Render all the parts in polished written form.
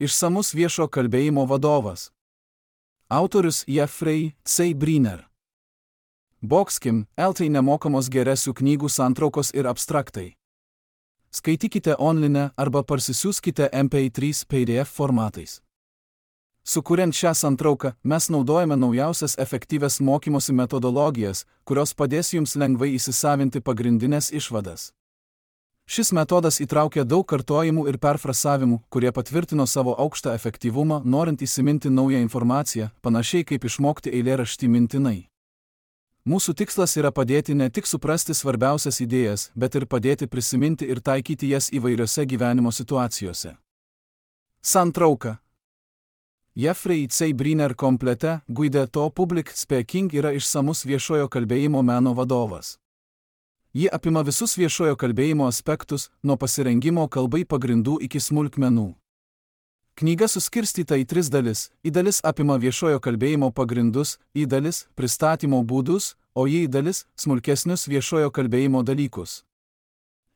Išsamus viešo kalbėjimo vadovas. Autorius Jeffrey C. Briner. Boxkim, LT nemokamos geresių knygų santraukos ir abstraktai. Skaitykite online arba parsisiųskite MP3 PDF formatais. Sukuriant šią santrauką, mes naudojame naujausias efektyvias mokymosi metodologijas, kurios padės jums lengvai įsisavinti pagrindinės išvadas. Šis metodas įtraukia daug kartojimų ir perfrasavimų, kurie patvirtino savo aukštą efektyvumą, norint įsiminti naują informaciją, panašiai kaip išmokti eilėraštį mintinai. Mūsų tikslas yra padėti ne tik suprasti svarbiausias idėjas, bet ir padėti prisiminti ir taikyti jas įvairiose gyvenimo situacijose. Santrauka. Jeffrey C. Briner komplete Guide to Public Speaking yra išsamus viešojo kalbėjimo meno vadovas. Ji apima visus viešojo kalbėjimo aspektus, nuo pasirengimo kalbai pagrindų iki smulkmenų. Knyga suskirstyta į 3 dalis. Į dalis apima viešojo kalbėjimo pagrindus, į dalis pristatymo būdus, o į dalis smulkesnius viešojo kalbėjimo dalykus.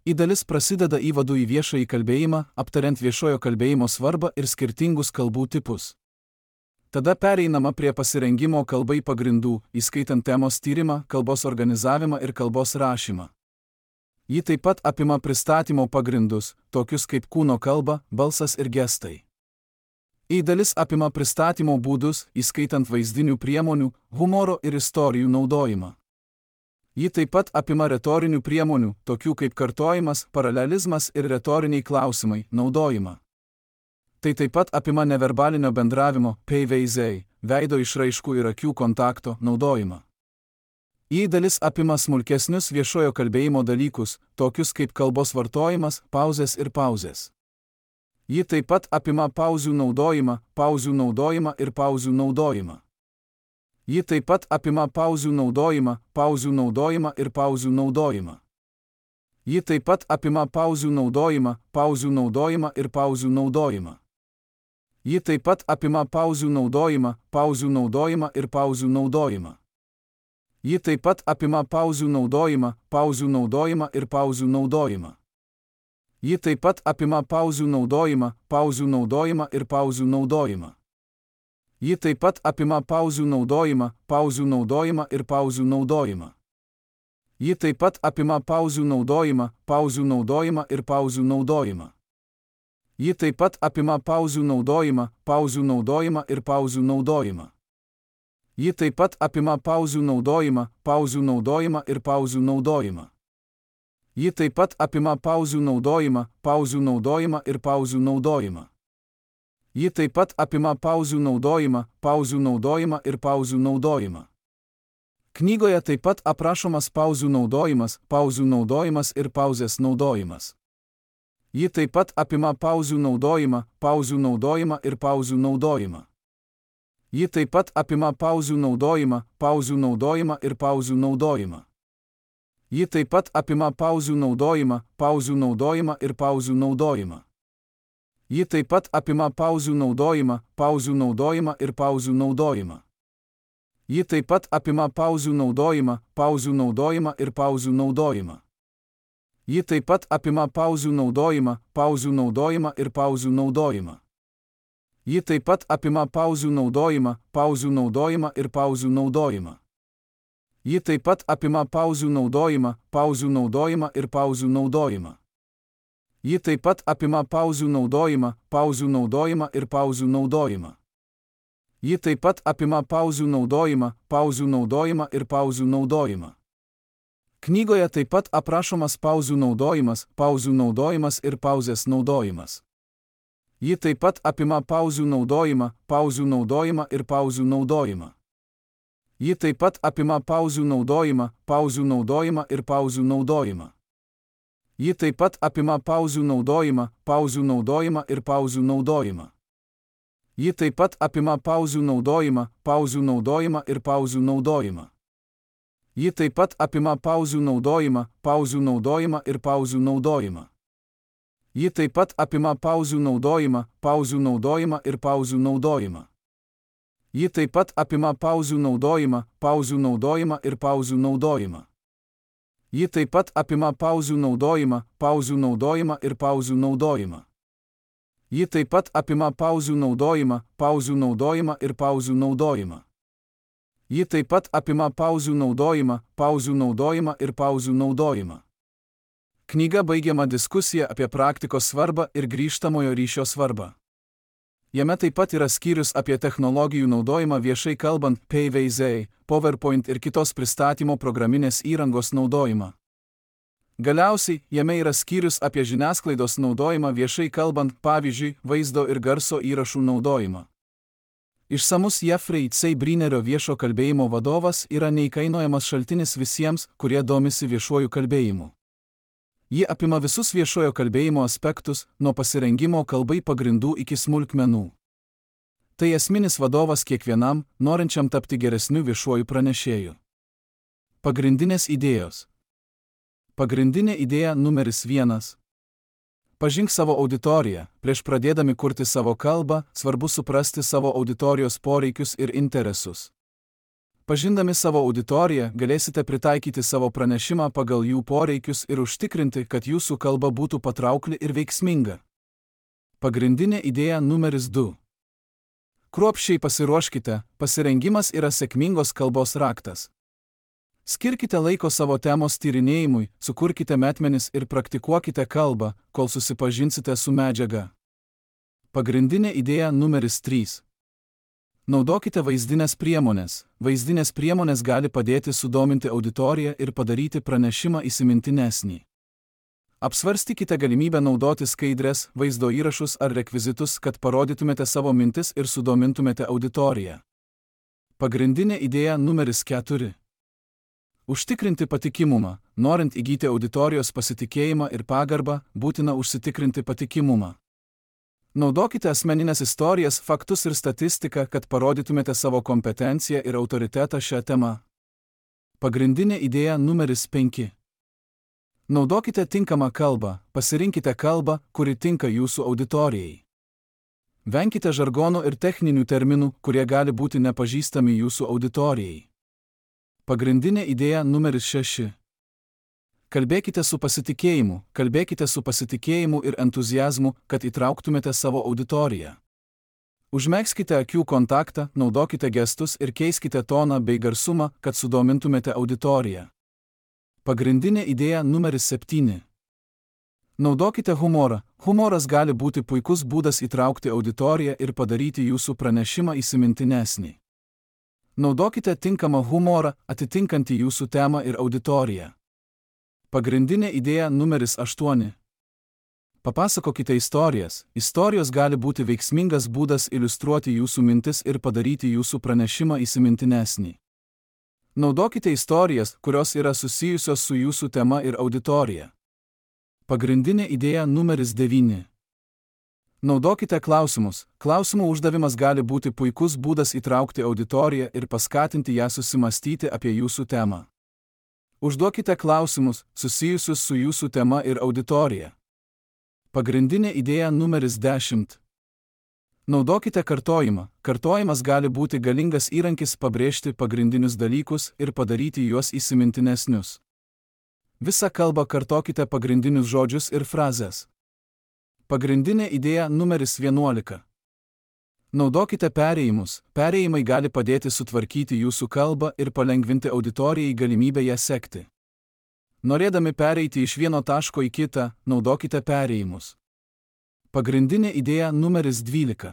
Į dalis prasideda įvadu į viešąjį kalbėjimą, aptariant viešojo kalbėjimo svarbą ir skirtingus kalbų tipus. Tada pereinama prie pasirengimo kalbai pagrindų, įskaitant temos tyrimą, kalbos organizavimą ir kalbos rašymą. Ji taip pat apima pristatymo pagrindus, tokius kaip kūno kalba, balsas ir gestai. Į dalis apima pristatymo būdus, įskaitant vaizdinių priemonių, humoro ir istorijų naudojimą. Ji taip pat apima retorinių priemonių, tokių kaip kartojimas, paralelizmas ir retoriniai klausimai, naudojimą. Tai taip pat apima neverbalinio bendravimo, PVZ, veido išraiškų ir akių kontakto naudojimą. Į dalis apima smulkesnius viešojo kalbėjimo dalykus, tokius kaip kalbos vartojimas, pauzės ir pauzės. Ji taip pat apima pauzių naudojimą ir pauzių naudojimą. Ji taip pat apima pauzių naudojimą ir pauzių naudojimą. Ji taip pat apima pauzių naudojimą ir pauzių naudojimą. Ji taip pat apima pauzių naudojimą ir pauzių naudojimą. Ji taip pat apima pauzių naudojimą ir pauzių naudojimą. Ji taip pat apima pauzių naudojimą ir pauzių naudojimą. Ji taip pat apima pauzių naudojimą ir pauzių naudojimą. Ji taip pat apima pauzių naudojimą ir pauzių naudojimą. Ji taip pat apima pauzių naudojimą ir pauzių naudojimą. Ji taip pat apima pauzių naudojimą ir pauzių naudojimą. Ji taip pat apima pauzių naudojimą ir pauzių naudojimą. Ji taip pat apima pauzių naudojimą ir pauzių naudojimą. Knygoje taip pat aprašomas pauzių naudojimas ir pauzės naudojimas. Ji taip pat apima pauzių naudojimą ir pauzių naudojimą. Ji taip pat apima pauzių naudojimą ir pauzių naudojimą. Ji taip pat apima pauzių naudojimą ir pauzių naudojimą. Ji taip pat apima pauzių naudojimą ir pauzių naudojimą. Ji taip pat apima pauzių naudojimą ir pauzių naudojimą. Ji taip pat apima pauzių naudojimą ir pauzių naudojimą. Ji taip pat apima pauzių naudojimą ir pauzių naudojimą. Ji taip pat apima pauzių naudojimą ir pauzių naudojimą. Ji taip pat apima pauzių naudojimą ir pauzių naudojimą. Ji taip pat apima pauzių naudojimą ir pauzių naudojimą. Knygoje taip pat aprašomas pauzių naudojimas ir pauzės naudojimas. Ji taip pat apima pauzių naudojimą ir pauzių naudojimą. Ji taip pat apima pauzių naudojimą ir pauzių naudojimą. Ji taip pat apima pauzių naudojimą ir pauzių naudojimą. Ji taip pat apima pauzių naudojimą ir pauzių naudojimą. Ji taip pat apima pauzių naudojimą ir pauzių naudojimą. Ji taip pat apima pauzių naudojimą ir pauzių naudojimą. Ji taip pat apima pauzių naudojimą ir pauzių naudojimą. Ji taip pat apima pauzių naudojimą ir pauzių naudojimą. Ji taip pat apima pauzių naudojimą ir pauzių naudojimą. Ji taip pat apima pauzių naudojimą ir pauzių naudojimą. Knyga baigiama diskusija apie praktikos svarbą ir grįžtamojo ryšio svarbą. Jame taip pat yra skyrius apie technologijų naudojimą viešai kalbant, PVZ, PowerPoint ir kitos pristatymo programinės įrangos naudojimą. Galiausiai, jame yra skyrius apie žiniasklaidos naudojimą viešai kalbant, pavyzdžiui, vaizdo ir garso įrašų naudojimą. Išsamus Jeffrey C. Brinerio viešo kalbėjimo vadovas yra neįkainojamas šaltinis visiems, kurie domisi viešuoju kalbėjimu. Ji apima visus viešojo kalbėjimo aspektus, nuo pasirengimo kalbai pagrindų iki smulkmenų. Tai esminis vadovas kiekvienam, norinčiam tapti geresniu viešuoju pranešėju. Pagrindinės idėjos. Pagrindinė idėja numeris 1. Pažink savo auditoriją. Prieš pradėdami kurti savo kalbą, svarbu suprasti savo auditorijos poreikius ir interesus. Pažindami savo auditoriją, galėsite pritaikyti savo pranešimą pagal jų poreikius ir užtikrinti, kad jūsų kalba būtų patraukli ir veiksminga. Pagrindinė idėja numeris 2. Kruopščiai pasiruoškite, pasirengimas yra sėkmingos kalbos raktas. Skirkite laiko savo temos tyrinėjimui, sukurkite metmenis ir praktikuokite kalbą, kol susipažinsite su medžiaga. Pagrindinė idėja numeris 3. Naudokite vaizdinės priemonės. Vaizdinės priemonės gali padėti sudominti auditoriją ir padaryti pranešimą įsimintinesnį. Apsvarstykite galimybę naudoti skaidres, vaizdo įrašus ar rekvizitus, kad parodytumėte savo mintis ir sudomintumėte auditoriją. Pagrindinė idėja numeris 4. Užtikrinti patikimumą. Norint įgyti auditorijos pasitikėjimą ir pagarbą, būtina užsitikrinti patikimumą. Naudokite asmeninės istorijas, faktus ir statistiką, kad parodytumėte savo kompetenciją ir autoritetą šią temą. Pagrindinė idėja numeris 5. Naudokite tinkamą kalbą. Pasirinkite kalbą, kuri tinka jūsų auditorijai. Venkite žargonų ir techninių terminų, kurie gali būti nepažįstami jūsų auditorijai. Pagrindinė idėja numeris 6. Kalbėkite su pasitikėjimu ir entuziazmu, kad įtrauktumėte savo auditoriją. Užmegzkite akių kontaktą, naudokite gestus ir keiskite toną bei garsumą, kad sudomintumėte auditoriją. Pagrindinė idėja numeris 7. Naudokite humorą. Humoras gali būti puikus būdas įtraukti auditoriją ir padaryti jūsų pranešimą įsimintinesnį. Naudokite tinkamą humorą, atitinkantį jūsų temą ir auditoriją. Pagrindinė idėja numeris 8. Papasakokite istorijas. Istorijos gali būti veiksmingas būdas iliustruoti jūsų mintis ir padaryti jūsų pranešimą įsimintinesnį. Naudokite istorijas, kurios yra susijusios su jūsų tema ir auditorija. Pagrindinė idėja numeris 9. Naudokite klausimus. Klausimų uždavimas gali būti puikus būdas įtraukti auditoriją ir paskatinti ją susimastyti apie jūsų temą. Užduokite klausimus, susijusius su jūsų tema ir auditorija. Pagrindinė idėja numeris 10. Naudokite kartojimą. Kartojimas gali būti galingas įrankis pabrėžti pagrindinius dalykus ir padaryti juos įsimintinesnius. Visą kalbą kartokite pagrindinius žodžius ir frazes. Pagrindinė idėja numeris 11. Naudokite perėjimus. Perėjimai gali padėti sutvarkyti jūsų kalbą ir palengvinti auditorijai galimybę ją sekti. Norėdami pereiti iš vieno taško į kitą, naudokite perėjimus. Pagrindinė idėja numeris 12.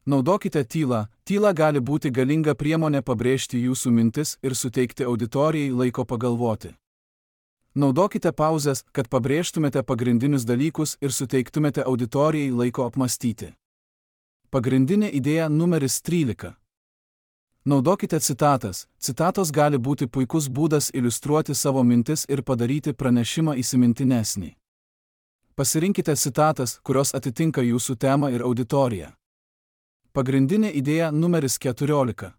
Naudokite tylą. Tyla gali būti galinga priemonė pabrėžti jūsų mintis ir suteikti auditorijai laiko pagalvoti. Naudokite pauzes, kad pabrėžtumėte pagrindinius dalykus ir suteiktumėte auditorijai laiko apmastyti. Pagrindinė idėja numeris 13. Naudokite citatas. Citatos gali būti puikus būdas iliustruoti savo mintis ir padaryti pranešimą įsimintinesnį. Pasirinkite citatas, kurios atitinka jūsų temą ir auditoriją. Pagrindinė idėja numeris 14.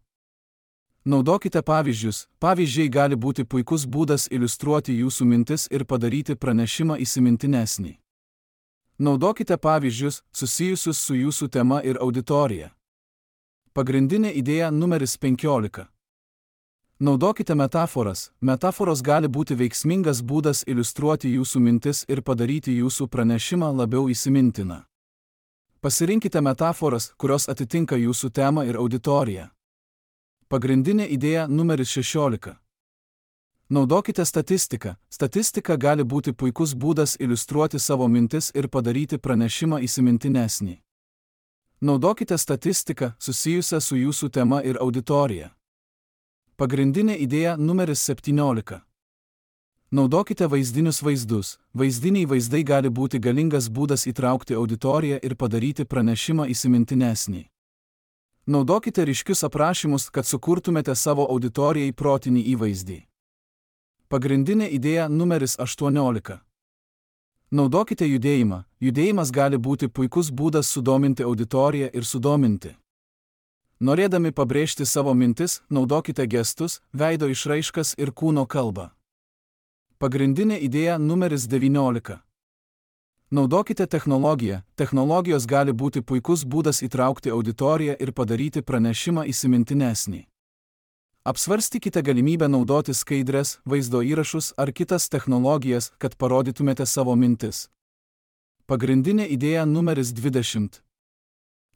Naudokite pavyzdžius. Pavyzdžiai gali būti puikus būdas iliustruoti jūsų mintis ir padaryti pranešimą įsimintinesnį. Naudokite pavyzdžius, susijusius su jūsų tema ir auditorija. Pagrindinė idėja numeris 15. Naudokite metaforas. Metaforos gali būti veiksmingas būdas iliustruoti jūsų mintis ir padaryti jūsų pranešimą labiau įsimintiną. Pasirinkite metaforas, kurios atitinka jūsų temą ir auditoriją. Pagrindinė idėja numeris 16. Naudokite statistiką. Statistika gali būti puikus būdas iliustruoti savo mintis ir padaryti pranešimą įsimintinesnį. Naudokite statistiką susijusią su jūsų tema ir auditorija. Pagrindinė idėja numeris 17. Naudokite vaizdinius vaizdus. Vaizdiniai vaizdai gali būti galingas būdas įtraukti auditoriją ir padaryti pranešimą įsimintinesnį. Naudokite ryškius aprašymus, kad sukurtumėte savo auditorijai protinį įvaizdį. Pagrindinė idėja numeris 18. Naudokite judėjimą. Judėjimas gali būti puikus būdas sudominti auditoriją ir sudominti. Norėdami pabrėžti savo mintis, naudokite gestus, veido išraiškas ir kūno kalbą. Pagrindinė idėja numeris 19. Naudokite technologiją. Technologijos gali būti puikus būdas įtraukti auditoriją ir padaryti pranešimą įsimintinesnį. Apsvarstykite galimybę naudoti skaidres, vaizdo įrašus ar kitas technologijas, kad parodytumėte savo mintis. Pagrindinė idėja numeris 20.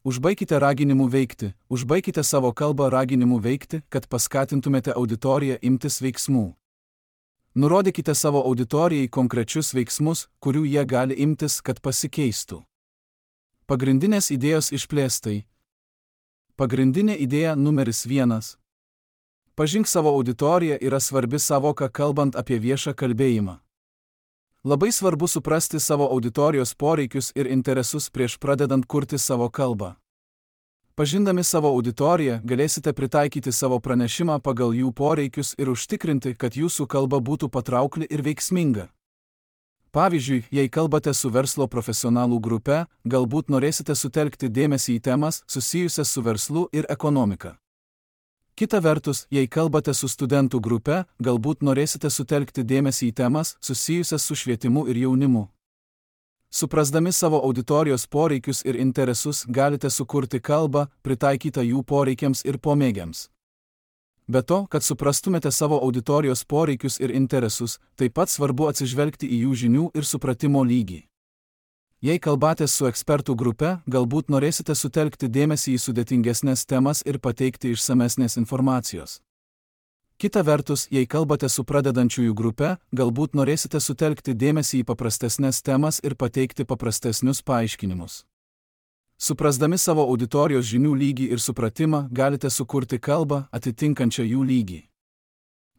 Užbaikite raginimu veikti. Užbaikite savo kalbą raginimu veikti, kad paskatintumėte auditoriją imtis veiksmų. Nurodykite savo auditorijai konkrečius veiksmus, kurių jie gali imtis, kad pasikeistų. Pagrindinės idėjos išplėstai. Pagrindinė idėja numeris 1. Pažink savo auditoriją yra svarbi savoka kalbant apie viešą kalbėjimą. Labai svarbu suprasti savo auditorijos poreikius ir interesus prieš pradedant kurti savo kalbą. Pažindami savo auditoriją, galėsite pritaikyti savo pranešimą pagal jų poreikius ir užtikrinti, kad jūsų kalba būtų patraukli ir veiksminga. Pavyzdžiui, jei kalbate su verslo profesionalų grupe, galbūt norėsite sutelkti dėmesį į temas susijusias su verslu ir ekonomika. Kita vertus, jei kalbate su studentų grupe, galbūt norėsite sutelkti dėmesį į temas susijusias su švietimu ir jaunimu. Suprasdami savo auditorijos poreikius ir interesus, galite sukurti kalbą, pritaikytą jų poreikiams ir pomėgiams. Be to, kad suprastumėte savo auditorijos poreikius ir interesus, taip pat svarbu atsižvelgti į jų žinių ir supratimo lygį. Jei kalbatės su ekspertų grupe, galbūt norėsite sutelkti dėmesį į sudėtingesnės temas ir pateikti išsamesnės informacijos. Kita vertus, jei kalbate su pradedančiųjų grupe, galbūt norėsite sutelkti dėmesį į paprastesnės temas ir pateikti paprastesnius paaiškinimus. Suprasdami savo auditorijos žinių lygį ir supratimą, galite sukurti kalbą, atitinkančią jų lygį.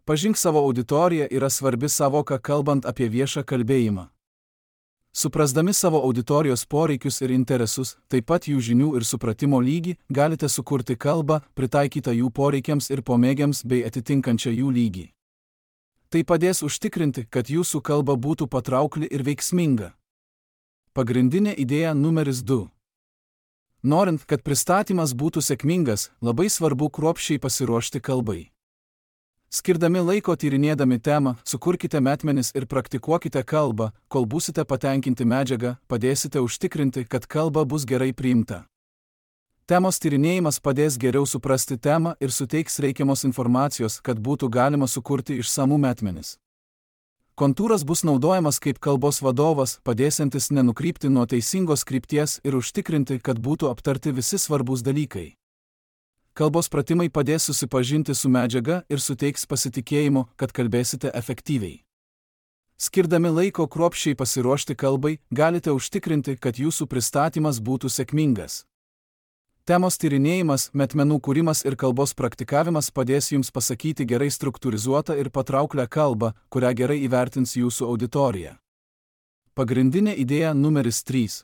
Pažink savo auditoriją yra svarbi savoka kalbant apie viešą kalbėjimą. Suprasdami savo auditorijos poreikius ir interesus, taip pat jų žinių ir supratimo lygį, galite sukurti kalbą, pritaikytą jų poreikiams ir pomėgiams bei atitinkančią jų lygį. Tai padės užtikrinti, kad jūsų kalba būtų patraukli ir veiksminga. Pagrindinė idėja numeris 2. Norint, kad pristatymas būtų sėkmingas, labai svarbu kruopščiai pasiruošti kalbai. Skirdami laiko tyrinėdami temą, sukurkite metmenis ir praktikuokite kalbą, kol būsite patenkinti medžiagą, padėsite užtikrinti, kad kalba bus gerai priimta. Temos tyrinėjimas padės geriau suprasti temą ir suteiks reikiamos informacijos, kad būtų galima sukurti išsamų metmenis. Kontūras bus naudojamas kaip kalbos vadovas, padėsiantis nenukrypti nuo teisingos krypties ir užtikrinti, kad būtų aptarti visi svarbūs dalykai. Kalbos pratimai padės susipažinti su medžiaga ir suteiks pasitikėjimo, kad kalbėsite efektyviai. Skirdami laiko kruopščiai pasiruošti kalbai, galite užtikrinti, kad jūsų pristatymas būtų sėkmingas. Temos tyrinėjimas, metmenų kūrimas ir kalbos praktikavimas padės jums pasakyti gerai struktūrizuotą ir patrauklią kalbą, kurią gerai įvertins jūsų auditorija. Pagrindinė idėja numeris 3.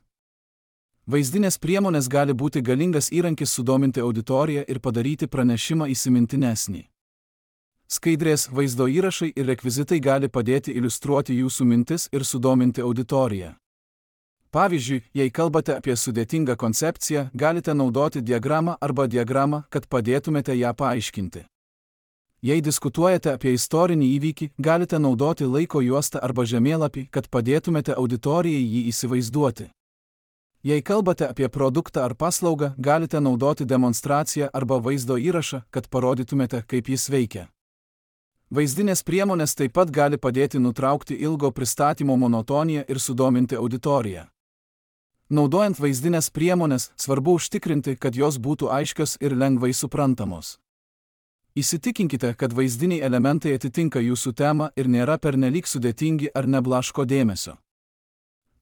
Vaizdinės priemonės gali būti galingas įrankis sudominti auditoriją ir padaryti pranešimą įsimintinesnį. Skaidrės, vaizdo įrašai ir rekvizitai gali padėti iliustruoti jūsų mintis ir sudominti auditoriją. Pavyzdžiui, jei kalbate apie sudėtingą koncepciją, galite naudoti diagramą arba diagramą, kad padėtumėte ją paaiškinti. Jei diskutuojate apie istorinį įvykį, galite naudoti laiko juostą arba žemėlapį, kad padėtumėte auditorijai jį įsivaizduoti. Jei kalbate apie produktą ar paslaugą, galite naudoti demonstraciją arba vaizdo įrašą, kad parodytumėte, kaip jis veikia. Vaizdinės priemonės taip pat gali padėti nutraukti ilgo pristatymo monotoniją ir sudominti auditoriją. Naudojant vaizdinės priemonės, svarbu užtikrinti, kad jos būtų aiškios ir lengvai suprantamos. Įsitikinkite, kad vaizdiniai elementai atitinka jūsų temą ir nėra pernelyg sudėtingi ar neblaško dėmesio.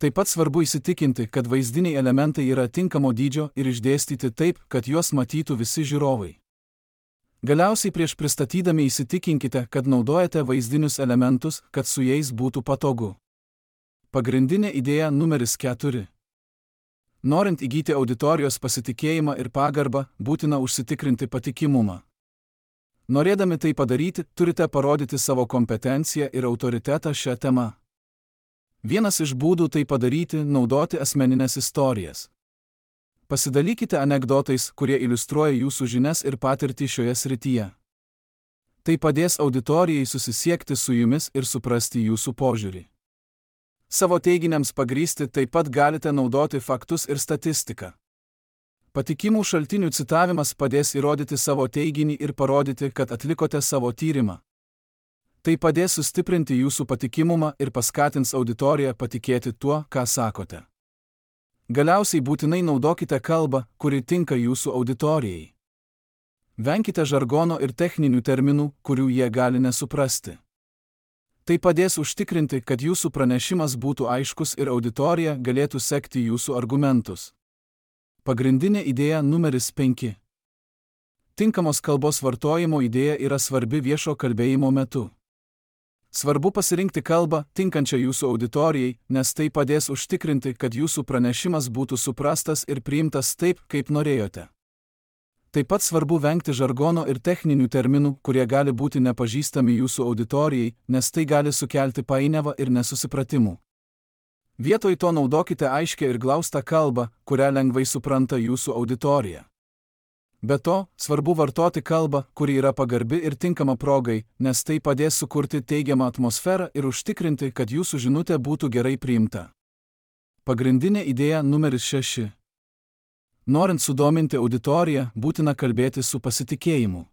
Taip pat svarbu įsitikinti, kad vaizdiniai elementai yra tinkamo dydžio ir išdėstyti taip, kad juos matytų visi žiūrovai. Galiausiai prieš pristatydami įsitikinkite, kad naudojate vaizdinius elementus, kad su jais būtų patogu. Pagrindinė idėja numeris 4. Norint įgyti auditorijos pasitikėjimą ir pagarbą, būtina užsitikrinti patikimumą. Norėdami tai padaryti, turite parodyti savo kompetenciją ir autoritetą šią temą. Vienas iš būdų tai padaryti – naudoti asmeninės istorijas. Pasidalykite anekdotais, kurie iliustruoja jūsų žinias ir patirtį šioje srityje. Tai padės auditorijai susisiekti su jumis ir suprasti jūsų požiūrį. Savo teiginiams pagrįsti taip pat galite naudoti faktus ir statistiką. Patikimų šaltinių citavimas padės įrodyti savo teiginį ir parodyti, kad atlikote savo tyrimą. Tai padės sustiprinti jūsų patikimumą ir paskatins auditoriją patikėti tuo, ką sakote. Galiausiai būtinai naudokite kalbą, kuri tinka jūsų auditorijai. Venkite žargono ir techninių terminų, kurių jie gali nesuprasti. Tai padės užtikrinti, kad jūsų pranešimas būtų aiškus ir auditorija galėtų sekti jūsų argumentus. Pagrindinė idėja numeris 5. Tinkamos kalbos vartojimo idėja yra svarbi viešo kalbėjimo metu. Svarbu pasirinkti kalbą, tinkančią jūsų auditorijai, nes tai padės užtikrinti, kad jūsų pranešimas būtų suprastas ir priimtas taip, kaip norėjote. Taip pat svarbu vengti žargono ir techninių terminų, kurie gali būti nepažįstami jūsų auditorijai, nes tai gali sukelti painiavą ir nesusipratimų. Vietoj to naudokite aiškią ir glaustą kalbą, kurią lengvai supranta jūsų auditorija. Be to, svarbu vartoti kalbą, kuri yra pagarbi ir tinkama progai, nes tai padės sukurti teigiamą atmosferą ir užtikrinti, kad jūsų žinutė būtų gerai priimta. Pagrindinė idėja numeris 6. Norint sudominti auditoriją, būtina kalbėti su pasitikėjimu.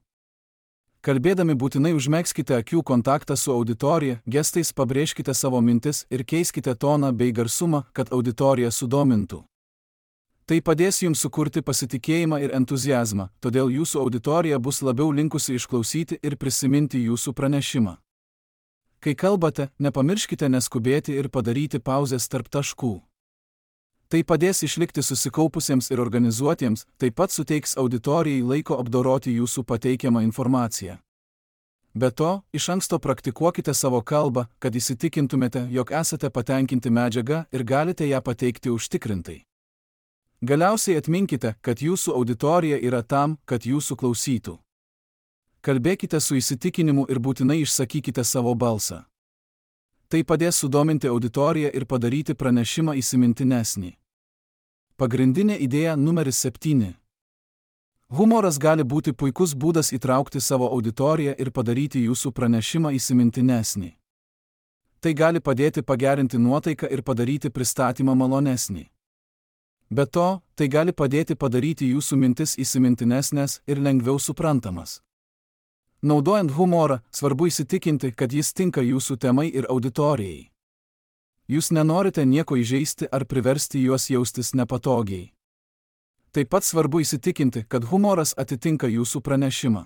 Kalbėdami būtinai užmegzkite akių kontaktą su auditorija, gestais pabrėžkite savo mintis ir keiskite toną bei garsumą, kad auditorija sudomintų. Tai padės jums sukurti pasitikėjimą ir entuziazmą, todėl jūsų auditorija bus labiau linkusi išklausyti ir prisiminti jūsų pranešimą. Kai kalbate, nepamirškite neskubėti ir padaryti pauzes tarp taškų. Tai padės išlikti susikaupusiems ir organizuotiems, taip pat suteiks auditorijai laiko apdoroti jūsų pateikiamą informaciją. Be to, iš anksto praktikuokite savo kalbą, kad įsitikintumėte, jog esate patenkinti medžiaga ir galite ją pateikti užtikrintai. Galiausiai atminkite, kad jūsų auditorija yra tam, kad jūsų klausytų. Kalbėkite su įsitikinimu ir būtinai išsakykite savo balsą. Tai padės sudominti auditoriją ir padaryti pranešimą įsimintinesnį. Pagrindinė idėja numeris 7. Humoras gali būti puikus būdas įtraukti savo auditoriją ir padaryti jūsų pranešimą įsimintinesnį. Tai gali padėti pagerinti nuotaiką ir padaryti pristatymą malonesnį. Be to, tai gali padėti padaryti jūsų mintis įsimintinesnės ir lengviau suprantamas. Naudojant humorą, svarbu įsitikinti, kad jis tinka jūsų temai ir auditorijai. Jūs nenorite nieko įžeisti ar priversti juos jaustis nepatogiai. Taip pat svarbu įsitikinti, kad humoras atitinka jūsų pranešimą.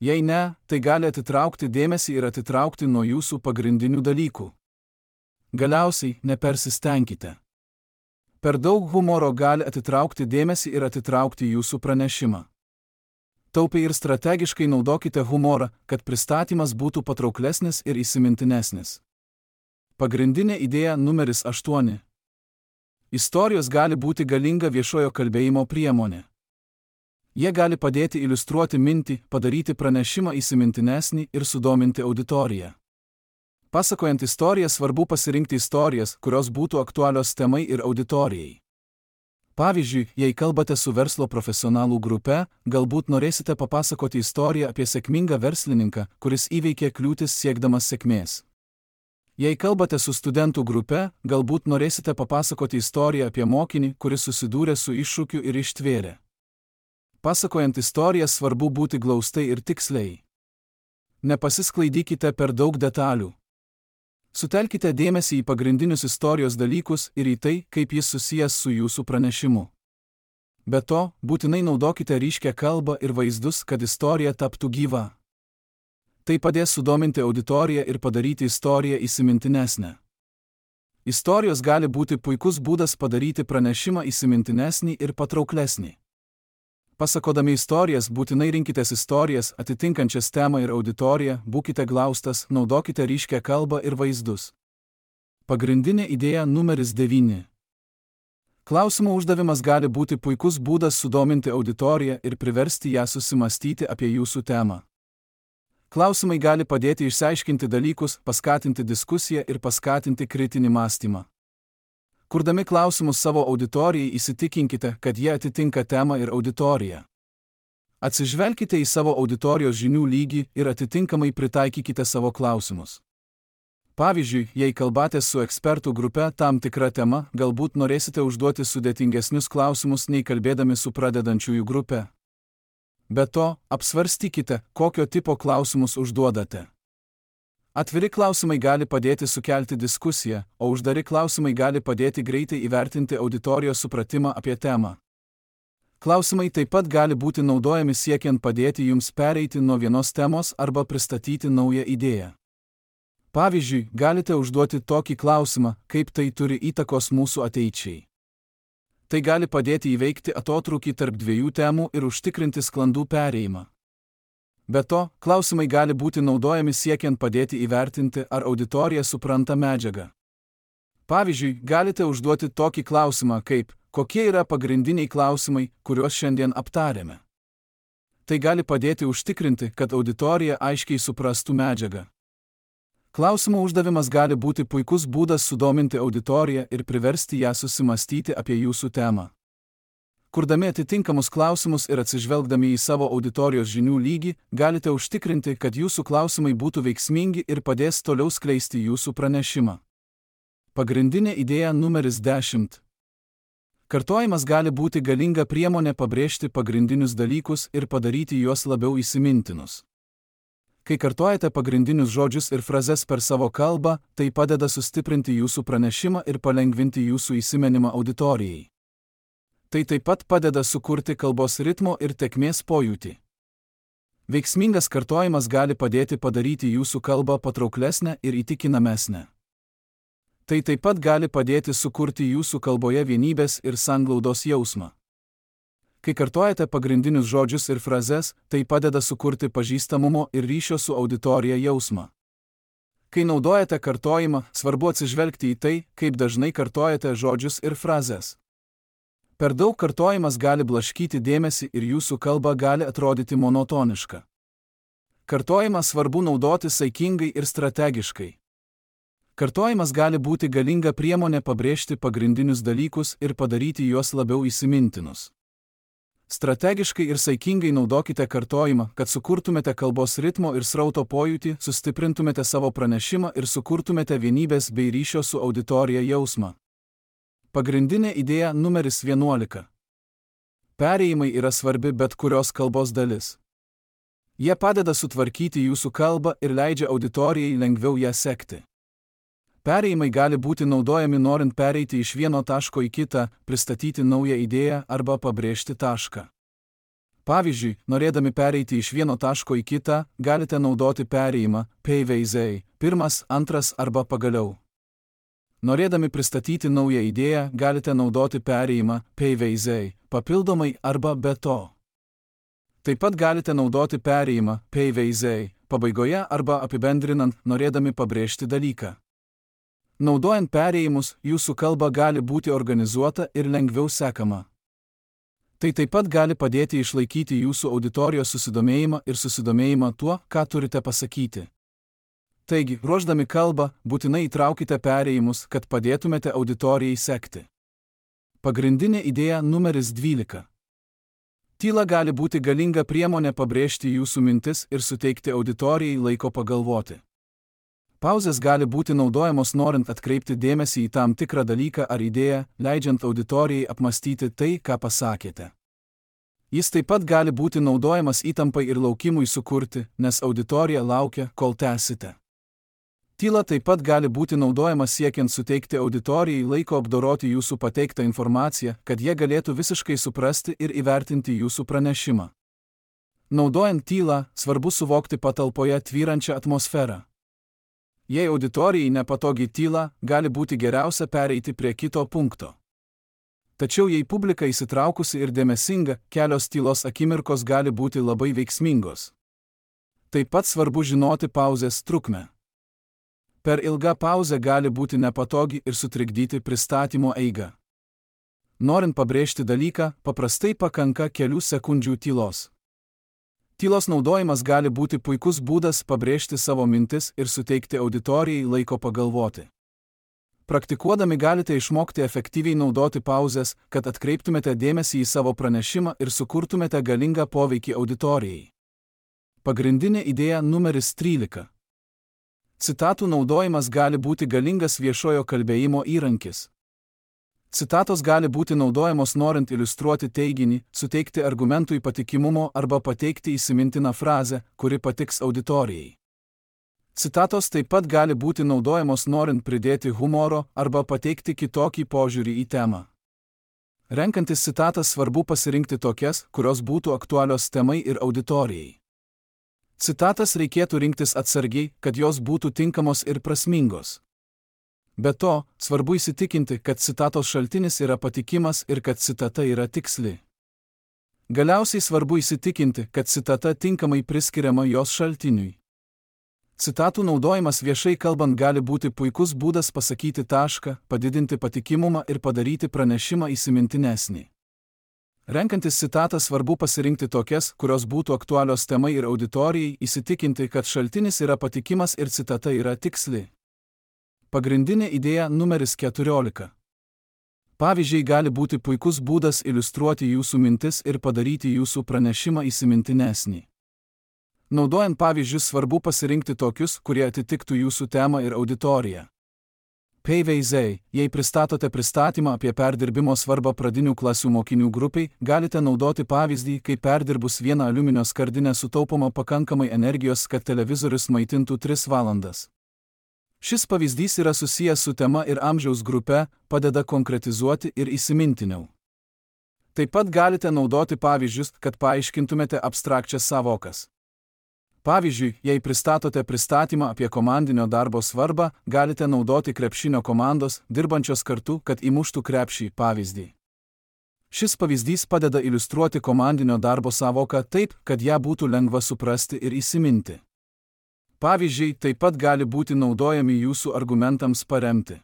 Jei ne, tai gali atitraukti dėmesį ir atitraukti nuo jūsų pagrindinių dalykų. Galiausiai, nepersistengkite. Per daug humoro gali atitraukti dėmesį ir atitraukti jūsų pranešimą. Taupiai ir strategiškai naudokite humorą, kad pristatymas būtų patrauklesnis ir įsimintinesnis. Pagrindinė idėja numeris 8. Istorijos gali būti galinga viešojo kalbėjimo priemonė. Jie gali padėti iliustruoti mintį, padaryti pranešimą įsimintinesnį ir sudominti auditoriją. Pasakojant istoriją svarbu pasirinkti istorijas, kurios būtų aktualios temai ir auditorijai. Pavyzdžiui, jei kalbate su verslo profesionalų grupe, galbūt norėsite papasakoti istoriją apie sėkmingą verslininką, kuris įveikė kliūtis siekdamas sėkmės. Jei kalbate su studentų grupe, galbūt norėsite papasakoti istoriją apie mokinį, kuris susidūrė su iššūkiu ir ištvėrė. Pasakojant istoriją svarbu būti glaustai ir tiksliai. Nepasisklaidykite per daug detalių. Sutelkite dėmesį į pagrindinius istorijos dalykus ir į tai, kaip jis susijęs su jūsų pranešimu. Be to, būtinai naudokite ryškią kalbą ir vaizdus, kad istorija taptų gyva. Tai padės sudominti auditoriją ir padaryti istoriją įsimintinesnę. Istorijos gali būti puikus būdas padaryti pranešimą įsimintinesnį ir patrauklesnį. Pasakodami istorijas būtinai rinkitės istorijas atitinkančias temą ir auditoriją, būkite glaustas, naudokite ryškią kalbą ir vaizdus. Pagrindinė idėja numeris 9. Klausimo uždavimas gali būti puikus būdas sudominti auditoriją ir priversti ją susimastyti apie jūsų temą. Klausimai gali padėti išsiaiškinti dalykus, paskatinti diskusiją ir paskatinti kritinį mąstymą. Kurdami klausimus savo auditorijai įsitikinkite, kad jie atitinka temą ir auditoriją. Atsižvelkite į savo auditorijos žinių lygį ir atitinkamai pritaikykite savo klausimus. Pavyzdžiui, jei kalbatės su ekspertų grupe tam tikra tema, galbūt norėsite užduoti sudėtingesnius klausimus nei kalbėdami su pradedančiųjų grupe. Be to, apsvarstykite, kokio tipo klausimus užduodate. Atviri klausimai gali padėti sukelti diskusiją, o uždari klausimai gali padėti greitai įvertinti auditorijos supratimą apie temą. Klausimai taip pat gali būti naudojami siekiant padėti jums pereiti nuo vienos temos arba pristatyti naują idėją. Pavyzdžiui, galite užduoti tokį klausimą, kaip tai turi įtakos mūsų ateičiai. Tai gali padėti įveikti atotrūkį tarp dviejų temų ir užtikrinti sklandų perėjimą. Be to, klausimai gali būti naudojami siekiant padėti įvertinti, ar auditorija supranta medžiagą. Pavyzdžiui, galite užduoti tokį klausimą kaip, kokie yra pagrindiniai klausimai, kuriuos šiandien aptarėme. Tai gali padėti užtikrinti, kad auditorija aiškiai suprastų medžiagą. Klausimo uždavimas gali būti puikus būdas sudominti auditoriją ir priversti ją susimastyti apie jūsų temą. Kurdami atitinkamus klausimus ir atsižvelgdami į savo auditorijos žinių lygį, galite užtikrinti, kad jūsų klausimai būtų veiksmingi ir padės toliau skleisti jūsų pranešimą. Pagrindinė idėja numeris 10. Kartojimas gali būti galinga priemonė pabrėžti pagrindinius dalykus ir padaryti juos labiau įsimintinus. Kai kartojate pagrindinius žodžius ir frazes per savo kalbą, tai padeda sustiprinti jūsų pranešimą ir palengvinti jūsų įsiminimą auditorijai. Tai taip pat padeda sukurti kalbos ritmo ir tėkmės pojūtį. Veiksmingas kartojimas gali padėti padaryti jūsų kalbą patrauklesnę ir įtikinamesnę. Tai taip pat gali padėti sukurti jūsų kalboje vienybės ir sanglaudos jausmą. Kai kartojate pagrindinius žodžius ir frazes, tai padeda sukurti pažįstamumo ir ryšio su auditorija jausmą. Kai naudojate kartojimą, svarbu atsižvelgti į tai, kaip dažnai kartojate žodžius ir frazes. Per daug kartojimas gali blaškyti dėmesį ir jūsų kalba gali atrodyti monotoniška. Kartojimą svarbu naudoti saikingai ir strategiškai. Kartojimas gali būti galinga priemonė pabrėžti pagrindinius dalykus ir padaryti juos labiau įsimintinus. Strategiškai ir saikingai naudokite kartojimą, kad sukurtumėte kalbos ritmo ir srauto pojūtį, sustiprintumėte savo pranešimą ir sukurtumėte vienybės bei ryšio su auditorija jausmą. Pagrindinė idėja numeris 11. Perėjimai yra svarbi bet kurios kalbos dalis. Jie padeda sutvarkyti jūsų kalbą ir leidžia auditorijai lengviau ją sekti. Perėjimai gali būti naudojami norint pereiti iš vieno taško į kitą, pristatyti naują idėją arba pabrėžti tašką. Pavyzdžiui, norėdami pereiti iš vieno taško į kitą, galite naudoti perėjimą, peiveizei, pirmas, antras arba pagaliau. Norėdami pristatyti naują idėją, galite naudoti perėjimą, peiveizei, papildomai arba be to. Taip pat galite naudoti perėjimą, peiveizei, pabaigoje arba apibendrinant, norėdami pabrėžti dalyką. Naudojant perėjimus, jūsų kalba gali būti organizuota ir lengviau sekama. Tai taip pat gali padėti išlaikyti jūsų auditorijos susidomėjimą ir susidomėjimą tuo, ką turite pasakyti. Taigi, ruošdami kalbą, būtinai įtraukite perėjimus, kad padėtumėte auditorijai sekti. Pagrindinė idėja numeris 12. Tyla gali būti galinga priemonė pabrėžti jūsų mintis ir suteikti auditorijai laiko pagalvoti. Pauzės gali būti naudojamos norint atkreipti dėmesį į tam tikrą dalyką ar idėją, leidžiant auditorijai apmastyti tai, ką pasakėte. Jis taip pat gali būti naudojamas įtampai ir laukimui sukurti, nes auditorija laukia, kol tęsite. Tyla taip pat gali būti naudojama siekiant suteikti auditorijai laiko apdoroti jūsų pateiktą informaciją, kad jie galėtų visiškai suprasti ir įvertinti jūsų pranešimą. Naudojant tylą, svarbu suvokti patalpoje tvyrančią atmosferą. Jei auditorijai nepatogi tyla, gali būti geriausia pereiti prie kito punkto. Tačiau jei publika įsitraukusi ir dėmesinga, kelios tylos akimirkos gali būti labai veiksmingos. Taip pat svarbu žinoti pauzės trukmę. Per ilga pauzė gali būti nepatogi ir sutrikdyti pristatymo eigą. Norint pabrėžti dalyką, paprastai pakanka kelių sekundžių tylos. Tylos naudojimas gali būti puikus būdas pabrėžti savo mintis ir suteikti auditorijai laiko pagalvoti. Praktikuodami galite išmokti efektyviai naudoti pauzes, kad atkreiptumėte dėmesį į savo pranešimą ir sukurtumėte galingą poveikį auditorijai. Pagrindinė idėja numeris 13. Citatų naudojimas gali būti galingas viešojo kalbėjimo įrankis. Citatos gali būti naudojamos norint iliustruoti teiginį, suteikti argumentui patikimumo arba pateikti įsimintiną frazę, kuri patiks auditorijai. Citatos taip pat gali būti naudojamos norint pridėti humoro arba pateikti kitokį požiūrį į temą. Renkantis citatas svarbu pasirinkti tokias, kurios būtų aktualios temai ir auditorijai. Citatas reikėtų rinktis atsargiai, kad jos būtų tinkamos ir prasmingos. Be to, svarbu įsitikinti, kad citatos šaltinis yra patikimas ir kad citata yra tiksli. Galiausiai svarbu įsitikinti, kad citata tinkamai priskiriama jos šaltiniui. Citatų naudojimas viešai kalbant gali būti puikus būdas pasakyti tašką, padidinti patikimumą ir padaryti pranešimą įsimintinesnį. Renkantis citatą svarbu pasirinkti tokias, kurios būtų aktualios temai ir auditorijai, įsitikinti, kad šaltinis yra patikimas ir citata yra tiksli. Pagrindinė idėja numeris 14. Pavyzdžiai gali būti puikus būdas iliustruoti jūsų mintis ir padaryti jūsų pranešimą įsimintinesnį. Naudojant pavyzdžius svarbu pasirinkti tokius, kurie atitiktų jūsų temą ir auditoriją. Pavyzdžiai, jei pristatote pristatymą apie perdirbimo svarbą pradinių klasių mokinių grupiai, galite naudoti pavyzdį, kai perdirbus vieną aliuminio skardinę sutaupoma pakankamai energijos, kad televizorius maitintų 3 valandas. Šis pavyzdys yra susijęs su tema ir amžiaus grupe, padeda konkretizuoti ir įsimintiniau. Taip pat galite naudoti pavyzdžius, kad paaiškintumėte abstrakčias savokas. Pavyzdžiui, jei pristatote pristatymą apie komandinio darbo svarbą, galite naudoti krepšinio komandos, dirbančios kartu, kad įmuštų krepšį pavyzdį. Šis pavyzdys padeda iliustruoti komandinio darbo savoką taip, kad ją būtų lengva suprasti ir įsiminti. Pavyzdžiai taip pat gali būti naudojami jūsų argumentams paremti.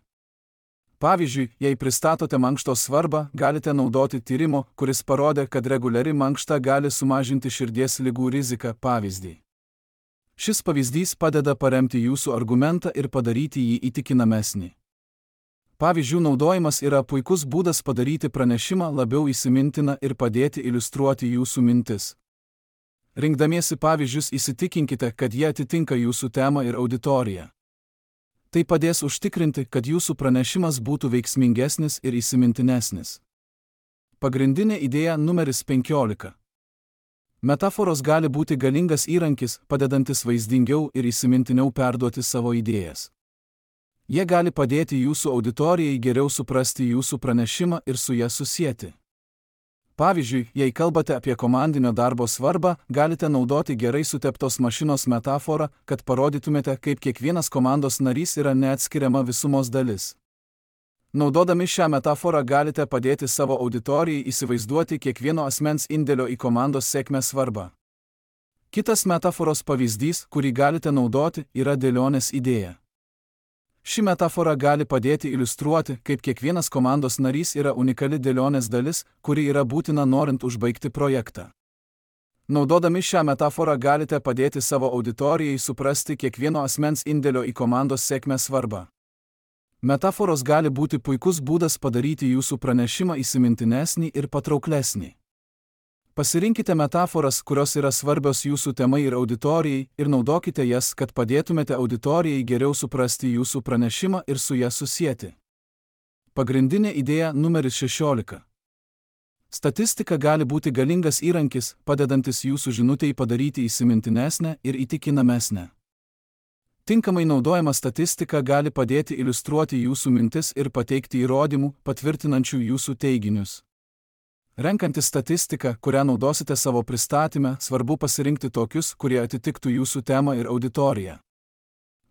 Pavyzdžiui, jei pristatote mankštos svarbą, galite naudoti tyrimo, kuris parodė, kad reguliari mankšta gali sumažinti širdies ligų riziką pavyzdį. Šis pavyzdys padeda paremti jūsų argumentą ir padaryti jį įtikinamesnį. Pavyzdžių naudojimas yra puikus būdas padaryti pranešimą labiau įsimintiną ir padėti iliustruoti jūsų mintis. Rinkdamiesi pavyzdžius įsitikinkite, kad jie atitinka jūsų temą ir auditoriją. Tai padės užtikrinti, kad jūsų pranešimas būtų veiksmingesnis ir įsimintinesnis. Pagrindinė idėja numeris 15. Metaforos gali būti galingas įrankis, padedantis vaizdingiau ir įsimintiniau perduoti savo idėjas. Jie gali padėti jūsų auditorijai geriau suprasti jūsų pranešimą ir su ja susieti. Pavyzdžiui, jei kalbate apie komandinio darbo svarbą, galite naudoti gerai suteptos mašinos metaforą, kad parodytumėte, kaip kiekvienas komandos narys yra neatskiriama visumos dalis. Naudodami šią metaforą galite padėti savo auditorijai įsivaizduoti kiekvieno asmens indėlio į komandos sėkmę svarbą. Kitas metaforos pavyzdys, kurį galite naudoti, yra dėlionės idėja. Ši metafora gali padėti iliustruoti, kaip kiekvienas komandos narys yra unikali dėlionės dalis, kuri yra būtina norint užbaigti projektą. Naudodami šią metaforą galite padėti savo auditorijai suprasti kiekvieno asmens indėlio į komandos sėkmę svarbą. Metaforos gali būti puikus būdas padaryti jūsų pranešimą įsimintinesnį ir patrauklesnį. Pasirinkite metaforas, kurios yra svarbios jūsų temai ir auditorijai, ir naudokite jas, kad padėtumėte auditorijai geriau suprasti jūsų pranešimą ir su ja susieti. Pagrindinė idėja numeris 16. Statistika gali būti galingas įrankis, padedantis jūsų žinutei padaryti įsimintinesnę ir įtikinamesnę. Tinkamai naudojama statistika gali padėti iliustruoti jūsų mintis ir pateikti įrodymų, patvirtinančių jūsų teiginius. Renkantis statistiką, kurią naudosite savo pristatyme, svarbu pasirinkti tokius, kurie atitiktų jūsų temą ir auditoriją.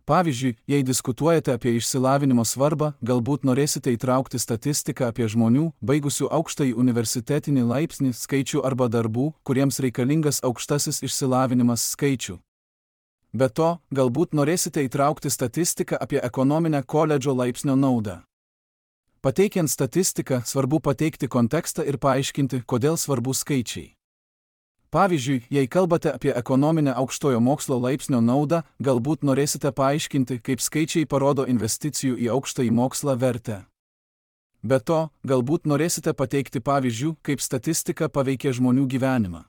Pavyzdžiui, jei diskutuojate apie išsilavinimo svarbą, galbūt norėsite įtraukti statistiką apie žmonių, baigusių aukštąjį universitetinį laipsnį skaičių arba darbų, kuriems reikalingas aukštasis išsilavinimas skaičių. Be to, galbūt norėsite įtraukti statistiką apie ekonominę koledžo laipsnio naudą. Pateikiant statistiką, svarbu pateikti kontekstą ir paaiškinti, kodėl svarbu skaičiai. Pavyzdžiui, jei kalbate apie ekonominę aukštojo mokslo laipsnio naudą, galbūt norėsite paaiškinti, kaip skaičiai parodo investicijų į aukštąjį mokslą vertę. Be to, galbūt norėsite pateikti pavyzdžių, kaip statistika paveikia žmonių gyvenimą.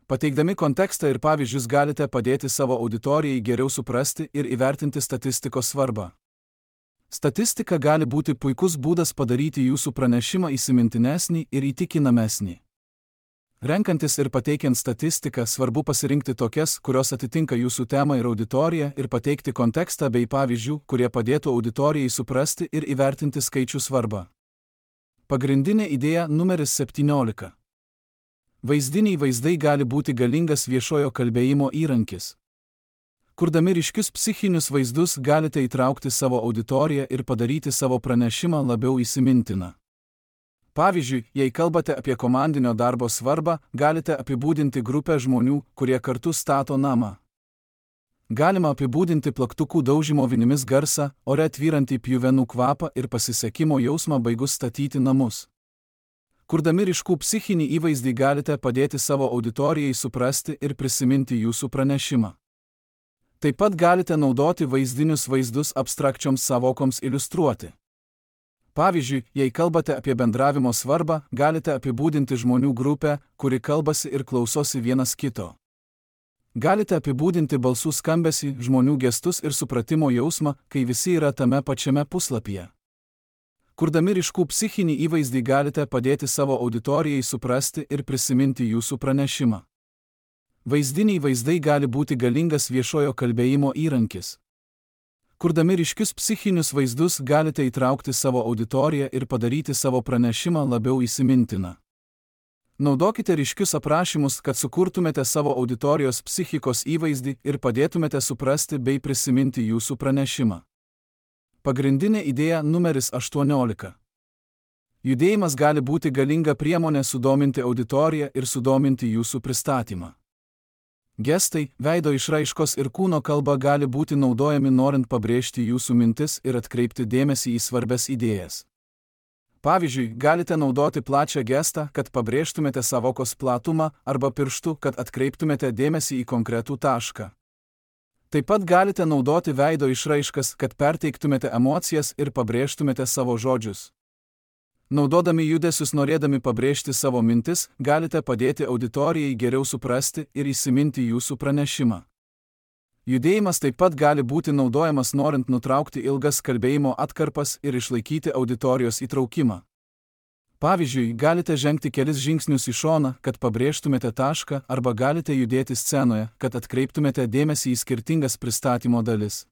Pateikdami kontekstą ir pavyzdžius galite padėti savo auditorijai geriau suprasti ir įvertinti statistikos svarbą. Statistika gali būti puikus būdas padaryti jūsų pranešimą įsimintinesnį ir įtikinamesnį. Renkantis ir pateikiant statistiką, svarbu pasirinkti tokias, kurios atitinka jūsų temą ir auditoriją, ir pateikti kontekstą bei pavyzdžių, kurie padėtų auditorijai suprasti ir įvertinti skaičių svarbą. Pagrindinė idėja numeris 17. Vaizdiniai vaizdai gali būti galingas viešojo kalbėjimo įrankis. Kurdami ryškius psichinius vaizdus galite įtraukti savo auditoriją ir padaryti savo pranešimą labiau įsimintiną. Pavyzdžiui, jei kalbate apie komandinio darbo svarbą, galite apibūdinti grupę žmonių, kurie kartu stato namą. Galima apibūdinti plaktukų daužymo vinimis garsą, ore tvyrantį pjuvenų kvapą ir pasisekimo jausmą baigus statyti namus. Kurdami ryškų psichinį įvaizdį galite padėti savo auditorijai suprasti ir prisiminti jūsų pranešimą. Taip pat galite naudoti vaizdinius vaizdus abstrakčioms sąvokoms iliustruoti. Pavyzdžiui, jei kalbate apie bendravimo svarbą, galite apibūdinti žmonių grupę, kuri kalbasi ir klausosi vienas kito. Galite apibūdinti balsų skambesį, žmonių gestus ir supratimo jausmą, kai visi yra tame pačiame puslapyje. Kurdami ryškų psichinį įvaizdį galite padėti savo auditorijai suprasti ir prisiminti jūsų pranešimą. Vaizdiniai vaizdai gali būti galingas viešojo kalbėjimo įrankis. Kurdami ryškius psichinius vaizdus galite įtraukti savo auditoriją ir padaryti savo pranešimą labiau įsimintiną. Naudokite ryškius aprašymus, kad sukurtumėte savo auditorijos psichikos įvaizdį ir padėtumėte suprasti bei prisiminti jūsų pranešimą. Pagrindinė idėja numeris 18. Judėjimas gali būti galinga priemonė sudominti auditoriją ir sudominti jūsų pristatymą. Gestai, veido išraiškos ir kūno kalba gali būti naudojami norint pabrėžti jūsų mintis ir atkreipti dėmesį į svarbias idėjas. Pavyzdžiui, galite naudoti plačią gestą, kad pabrėžtumėte sąvokos platumą, arba pirštu, kad atkreiptumėte dėmesį į konkretų tašką. Taip pat galite naudoti veido išraiškas, kad perteiktumėte emocijas ir pabrėžtumėte savo žodžius. Naudodami judesius norėdami pabrėžti savo mintis, galite padėti auditorijai geriau suprasti ir įsiminti jūsų pranešimą. Judėjimas taip pat gali būti naudojamas norint nutraukti ilgas kalbėjimo atkarpas ir išlaikyti auditorijos įtraukimą. Pavyzdžiui, galite žengti kelis žingsnius į šoną, kad pabrėžtumėte tašką, arba galite judėti scenoje, kad atkreiptumėte dėmesį į skirtingas pristatymo dalis.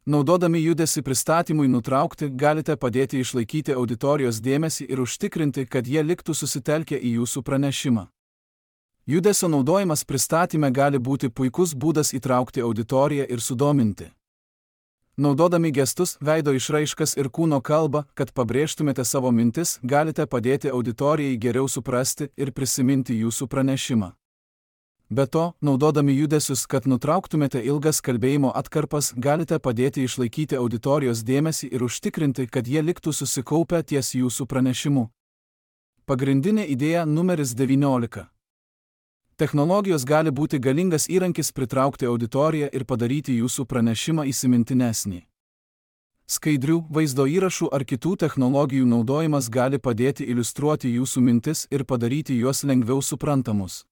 Naudodami judesį pristatymui nutraukti, galite padėti išlaikyti auditorijos dėmesį ir užtikrinti, kad jie liktų susitelkę į jūsų pranešimą. Judesio naudojimas pristatyme gali būti puikus būdas įtraukti auditoriją ir sudominti. Naudodami gestus, veido išraiškas ir kūno kalbą, kad pabrėžtumėte savo mintis, galite padėti auditorijai geriau suprasti ir prisiminti jūsų pranešimą. Be to, naudodami judesius, kad nutrauktumėte ilgas kalbėjimo atkarpas, galite padėti išlaikyti auditorijos dėmesį ir užtikrinti, kad jie liktų susikaupę ties jūsų pranešimu. Pagrindinė idėja numeris 19. Technologijos gali būti galingas įrankis pritraukti auditoriją ir padaryti jūsų pranešimą įsimintinesnį. Skaidrių, vaizdo įrašų ar kitų technologijų naudojimas gali padėti iliustruoti jūsų mintis ir padaryti juos lengviau suprantamus.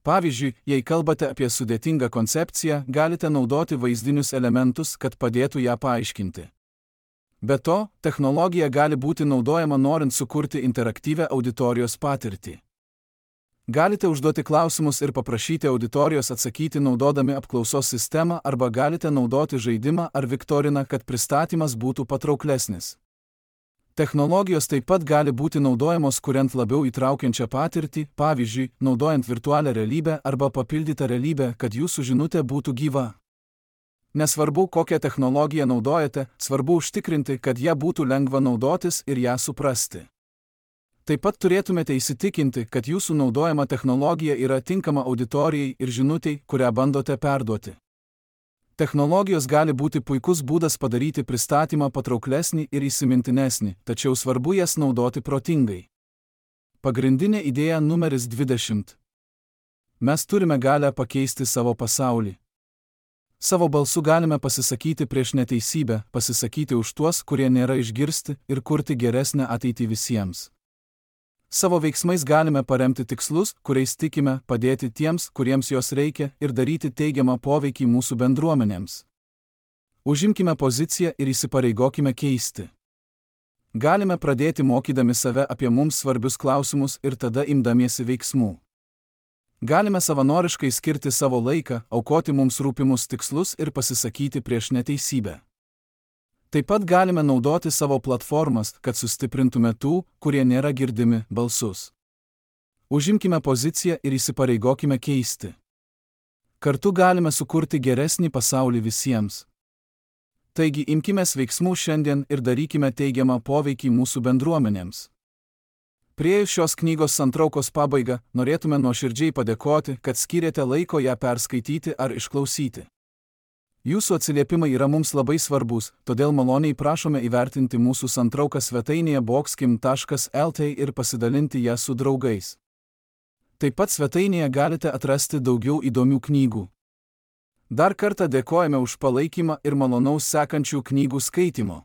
Pavyzdžiui, jei kalbate apie sudėtingą koncepciją, galite naudoti vaizdinius elementus, kad padėtų ją paaiškinti. Be to, technologija gali būti naudojama norint sukurti interaktyvią auditorijos patirtį. Galite užduoti klausimus ir paprašyti auditorijos atsakyti naudodami apklausos sistemą arba galite naudoti žaidimą ar viktoriną, kad pristatymas būtų patrauklesnis. Technologijos taip pat gali būti naudojamos kuriant labiau įtraukiančią patirtį, pavyzdžiui, naudojant virtualią realybę arba papildytą realybę, kad jūsų žinutė būtų gyva. Nesvarbu, kokią technologiją naudojate, svarbu užtikrinti, kad ją būtų lengva naudotis ir ją suprasti. Taip pat turėtumėte įsitikinti, kad jūsų naudojama technologija yra tinkama auditorijai ir žinutei, kurią bandote perduoti. Technologijos gali būti puikus būdas padaryti pristatymą patrauklesnį ir įsimintinesnį, tačiau svarbu jas naudoti protingai. Pagrindinė idėja numeris 20. Mes turime galią pakeisti savo pasaulį. Savo balsu galime pasisakyti prieš neteisybę, pasisakyti už tuos, kurie nėra išgirsti, ir kurti geresnę ateitį visiems. Savo veiksmais galime paremti tikslus, kuriais tikime, padėti tiems, kuriems jos reikia, ir daryti teigiamą poveikį mūsų bendruomenėms. Užimkime poziciją ir įsipareigokime keisti. Galime pradėti mokydami save apie mums svarbius klausimus ir tada imdamiesi veiksmų. Galime savanoriškai skirti savo laiką, aukoti mums rūpimus tikslus ir pasisakyti prieš neteisybę. Taip pat galime naudoti savo platformas, kad sustiprintume tų, kurie nėra girdimi, balsus. Užimkime poziciją ir įsipareigokime keisti. Kartu galime sukurti geresnį pasaulį visiems. Taigi imkimės veiksmų šiandien ir darykime teigiamą poveikį mūsų bendruomenėms. Priėjus šios knygos santraukos pabaigą, norėtume nuoširdžiai padėkoti, kad skyrėte laiko ją perskaityti ar išklausyti. Jūsų atsiliepimai yra mums labai svarbus, todėl maloniai prašome įvertinti mūsų santrauką svetainėje boxkim.lt ir pasidalinti ją su draugais. Taip pat svetainėje galite atrasti daugiau įdomių knygų. Dar kartą dėkojame už palaikymą ir malonaus sekančių knygų skaitimo.